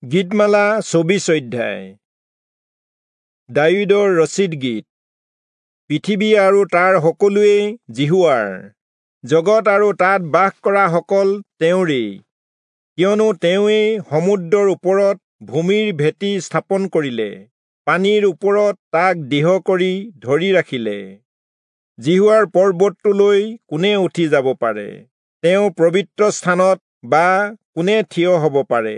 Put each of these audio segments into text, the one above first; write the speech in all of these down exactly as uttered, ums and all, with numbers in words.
গীতমালা চৌবিশ অধ্যায়। দায়ূদৰ ৰচিত গীত। পৃথিৱী আৰু তাৰ সকলোৱেই যিহোৱাৰ, জগত আৰু তাত বাস কৰা সকল তেওঁৰেই। কিয়নো তেওঁৱেই সমুদ্ৰৰ ওপৰত ভূমিৰ ভেটি স্থাপন কৰিলে, পানীৰ ওপৰত তাক দৃঢ় কৰি ধৰি ৰাখিলে। যিহোৱাৰ পৰ্বতটোলৈ কোনে উঠি যাব পাৰে? তেওঁ পবিত্ৰ স্থানত বা কোনে থিয় হ'ব পাৰে?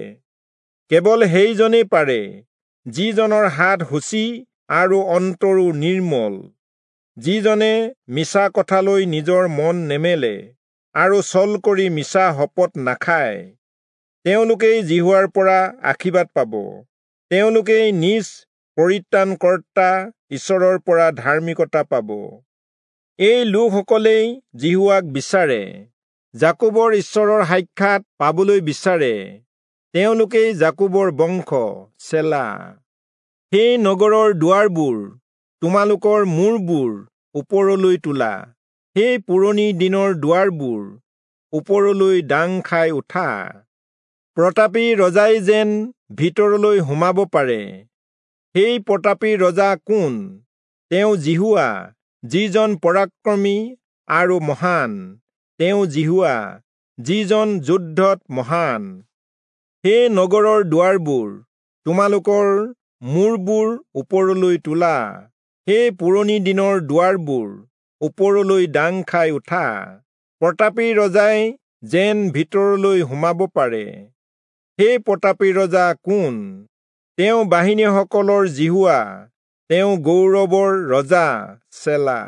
কেৱল সেইজনেই পাৰে, যিজনৰ হাত শুচি আৰু অন্তৰো নিৰ্মল, যিজনে মিছা কথালৈ নিজৰ মন নেমেলে আৰু ছল কৰি মিছা শপত নাখায়। তেওঁলোকেই যিহোৱাৰ পৰা আশীৰ্বাদ পাব, তেওঁলোকেই নিজ পৰিত্ৰাণকৰ্তা ঈশ্বৰৰ পৰা ধাৰ্মিকতা পাব। এই লোকসকলেই যিহোৱাক বিচাৰে, যাকোবৰ ঈশ্বৰৰ সাক্ষাৎ পাবলৈ বিচাৰে। তেওঁলোকেই যাকোবৰ বংশ। চেলা। সেই নগৰৰ দুৱাৰবোৰ, তোমালোকৰ মূৰবোৰ ওপৰলৈ তোলা, সেই পুৰণি দিনৰ দুৱাৰবোৰ ওপৰলৈ দাং খাই উঠা। প্ৰতাপী ৰজাই যেন ভিতৰলৈ সোমাব পাৰে। সেই প্ৰতাপী ৰজা কোন? তেওঁ যিহোৱা, যিজন পৰাক্ৰমী আৰু মহান। তেওঁ যিহোৱা, যিজন যুদ্ধত মহান। সেই নগৰৰ দুৱাৰবোৰ, তোমালোকৰ মূৰবোৰ ওপৰলৈ তোলা, সেই পুৰণি দিনৰ দুৱাৰবোৰ ওপৰলৈ দাং খাই উঠা। প্ৰতাপী ৰজাই যেন ভিতৰলৈ সোমাব পাৰে। সেই প্ৰতাপী ৰজা কোন? তেওঁ বাহিনীসকলৰ যিহোৱা, তেওঁ গৌৰৱৰ ৰজা। চেলা।